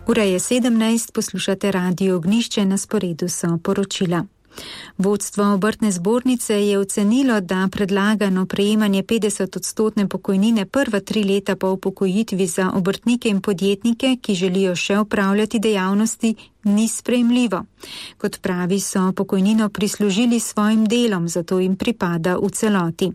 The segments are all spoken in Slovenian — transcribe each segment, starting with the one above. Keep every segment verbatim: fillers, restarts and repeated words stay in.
Ura je sedemnajst, poslušate Radio Ognjišče, na sporedu so poročila. Vodstvo obrtne zbornice je ocenilo, da predlagano prejemanje petdeset odstotne pokojnine prva tri leta po upokojitvi za obrtnike in podjetnike, ki želijo še opravljati dejavnosti, ni sprejemljivo. Kot pravi, so pokojnino prislužili svojim delom, zato jim pripada v celoti.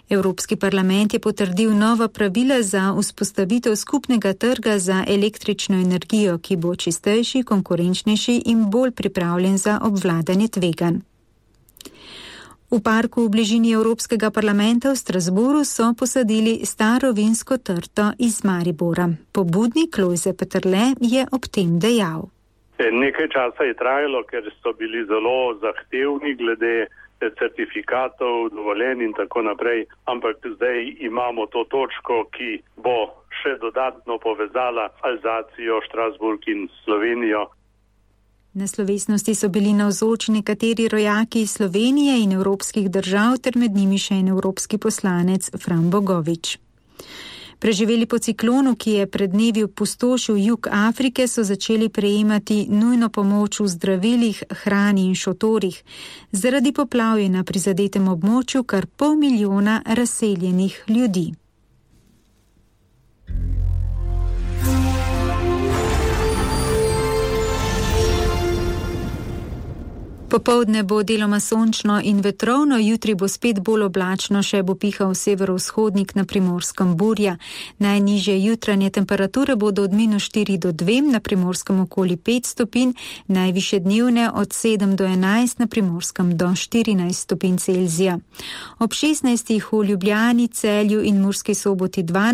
Evropski parlament je potrdil nova pravila za vzpostavitev skupnega trga za električno energijo, ki bo čistejši, konkurenčnejši in bolj pripravljen za obvladanje tveganj. V parku v bližini Evropskega parlamenta v Strasbourgu so posadili staro vinsko trto iz Maribora. Pobudnik Lojze Peterle je ob tem dejal. Nekaj časa je trajalo, ker so bili zelo zahtevni glede certifikatov, dovoljen in tako naprej, ampak zdaj imamo to točko, ki bo še dodatno povezala Alzacijo, Strasbourg in Slovenijo. Na slovesnosti so bili navzoči nekateri rojaki iz Slovenije in evropskih držav, ter med njimi še en evropski poslanec Fran Bogovič. Preživeli po ciklonu, ki je pred dnevi opustošil jug Afrike, so začeli prejemati nujno pomoč v zdravilih, hrani in šotorih. Zaradi poplav je na prizadetem območju kar pol milijona razseljenih ljudi. Popoldne bo deloma sončno in vetrovno, jutri bo spet bolj oblačno, še bo pihal severovzhodnik, na Primorskem burja. Najnižje jutranje temperature bodo od minus štiri do dve, na Primorskem okoli pet stopinj, najvišje dnevne od sedem do enajst, na Primorskem do štirinajst stopinj Celzija. Ob šestnajstih v Ljubljani, Celju in Murski Soboti dvanajst